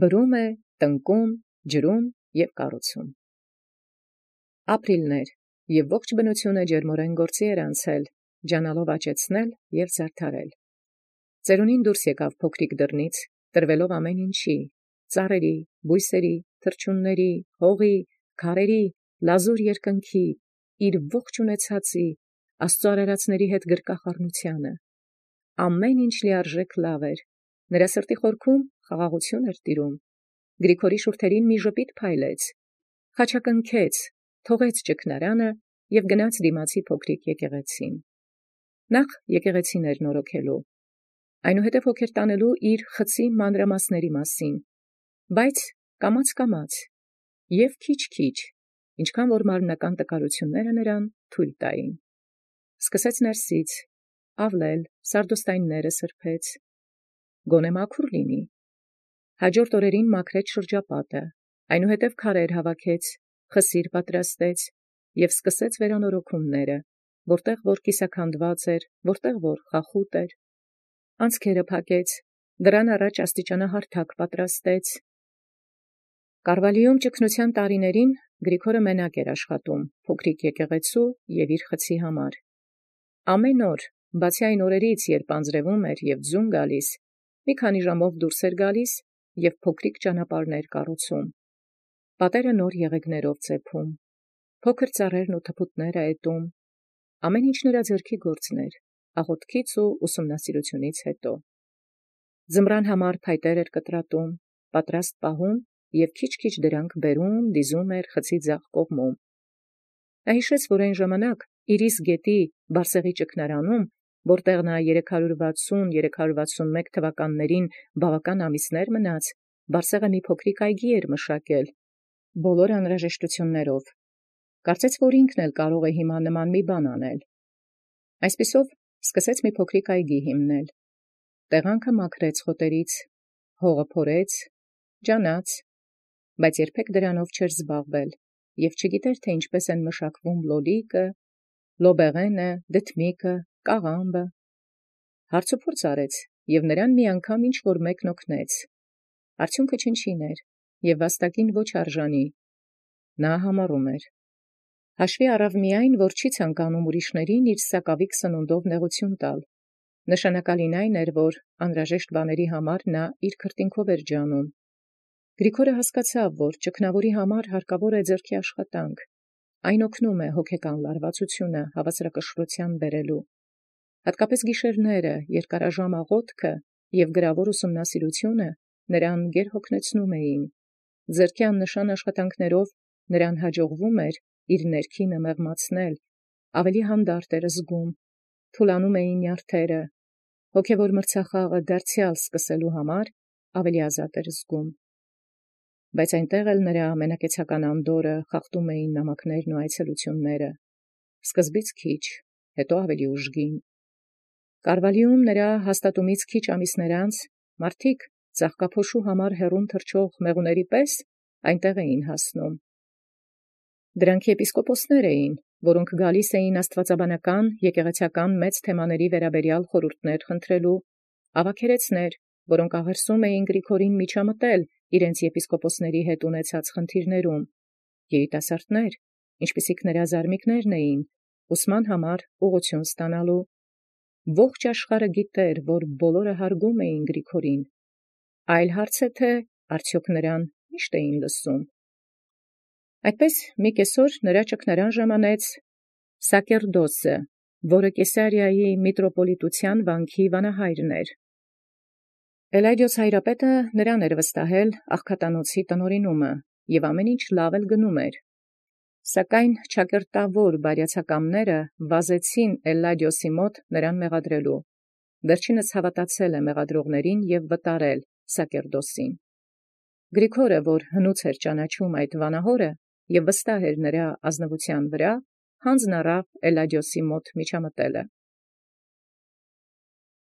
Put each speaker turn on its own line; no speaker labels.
Բրում է, տնկում, ջրում և կառուցում։ Ապրիլներ և ողջ բնությունը ջերմորեն գործի էր անցել, ջանալով աճեցնել և զարդարել։ Ծերունին դուրս եկավ փոքրիկ դռնից, տրվելով ամեն ինչի, ծառերի, բույսերի, թռչունների, հողի, քարերի, լազուր երկնքի, իր ողջ ունեցածի, Աստծո արարածների հետ գրկախառնությանը։ Ամեն ինչ լիարժեք լավ էր, նրա սրտի խորքում խաղաղություն էր տիրում։ Գրիգորի շուրթերին մի ժպիտ փայլեց, խաչակնքեց, թողեց ճգնարանը և գնաց դիմացի փոքրիկ եկեղեցին։ Նախ եկեղեցին էր նորոգելու, այնուհետև հոգեր տանելու իր խցի մանրամասների մասին, բայց կամաց և քիչ, ինչքան որ մարմնական տկարութիւնները նրան թույլ տային։ Սկսեց ներսից, ավլել, սարդոստայնները սրբեց, գոնե մաքուր լինի։ Հաջորդ օրերին մաքրեց շրջապատը, այնուհետև քարեր հավաքեց, խսիր պատրաստեց և սկսեց վերանորոգումները, որտեղ որ կիսաքանդված էր, որտեղ որ խախուտ էր, անցքերը փակեց, դրան առաջ աստիճանահարթակ պատրաստեց։ Կարվալիում ճգնության տարիներին Գրիգորը մենակ էր աշխատում փոքրիկ եկեղեցու և իր խցի համար։ Ամեն օր, բացի այն օրերից, երբ անձրևում էր և ձուն գալիս, մի քանի ժամով դուրս էր գալիս և փոքրիկ ճանապարհներ կառուցում։ Պատերը նոր եղեգներով ծեփում, փոքր ծառերն ու թփուտները էտում, ամեն ինչ նրա ձեռքի գործն էր, աղոթքից ու ուսումնասիրությունից հետո։ Ձմռան համար փայտեր էր կտրատում, պատրաստ պահում և քիչ դրանք բերում, դիզում էր խցի ձախ կողմում։ Նա հիշեց, որ այն ժամանակ Իրիս գետի Բարսեղի ճգնարանում, որտեղ նա 360-361 թվականներին բավական ամիսներ մնաց, Բարսեղը մի փոքրիկ այգի էր մշակել, բոլոր անհրաժեշտություններով։ Կարծեց, որ ինքն էլ կարող է հիմա նման մի բան անել։ Այսպիսով սկսեց մի փոքրիկ այգի հիմնել։ Տեղանքը մաքրեց խոտերից, հողը փորեց, ջանաց, բայց երբեք դրանով չէր զբաղվել և չգիտեր, թե ինչպես են մշակվում լոլիկը, լոբեղենը, դդմիկը, կաղամբը։ Հարցուփորձ արեց և նրան մի անգամ ինչ-որ մեկն օգնեց։ Արդյունքը չնչին էր և վաստակին ոչ արժանի։ Նա համառում էր։ Հաշվի առավ միայն, որ չի ցանկանում ուրիշներին իր սակավիկ սնունդով նեղություն տալ։ Նշանակալին այն էր, որ անհրաժեշտ բաների համար նա իր քրտինքով էր ջանում։ Գրիգորը հասկացավ, որ ճգնավորի համար հարկավոր է ձեռքի աշխատանք։ Այն օգնում է հոգեկան լարվածությունը հավասարակշռության բերելու։ Հատկապես գիշերները, երկարաժամ աղոթքը և գրավոր ուսումնասիրությունը նրան գերհոգնեցնում էին։ Ձեռքի աննշան աշխատանքներով նրան հաջողվում էր իր ներքինը մեղմացնել, ավելի հանդարտ էր զգում, թուլանում էին նյարդերը, հոգևոր մրցախաղը դարձյալ սկսելու համար ավելի ազատ էր զգում։ Բայց այնտեղ էլ նրա ամենակեցական անդորրը խախտում էին նամակներն ու այցելությունները, սկզբից քիչ, հետո ավելի ուժգին։ Կարվալիում նրա հաստատումից քիչ ամիսներ անց մարդիկ ծաղկափոշու համար հեռուն թռչող մեղուների պես այնտեղ էին հասնում։ Դրանք եպիսկոպոսներ էին, որոնք գալիս էին աստվածաբանական, եկեղեցական մեծ թեմաների վերաբերյալ խորհուրդներ խնդրելու, ավագերեցներ, որոնք աղերսում էին Գրիգորին միջամտել իրենց եպիսկոպոսների հետ ունեցած խնդիրներում, երիտասարդներ, ինչպիսիք նրա զարմիկներն էին, ուսման համար ուղղություն ստանալու։ Ողջ աշխարհը գիտեր, որ բոլորը հարգում էին Գրիգորին։ Այլ հարց է, թե արդյոք նրան միշտ էին լսում։ Այդպես մի կեսօր նրա ճգնարան ժամանեց Սակերդոսը, որը Կեսարիայի միտրոպոլիտության վանքի վանահայրն էր։ Էլայդիոս հայրապետը նրան էր վստահել աղքատանոցի տնօրինումը, և ամեն ինչ լավ էլ գնում էր։ Սակայն ճակերտավոր բարյացակամները վազեցին Էլլադիոսի մոտ նրան մեղադրելու։ Վերջինս հավատացել է մեղադրողներին և վտարել Սակերդոսին։ Գրիգորը, որ հնուց էր ճանաչում այդ վանահորը և վստահ էր նրա ազնվության վրա, հանձն առավ Էլլադիոսի մոտ միջամտելը։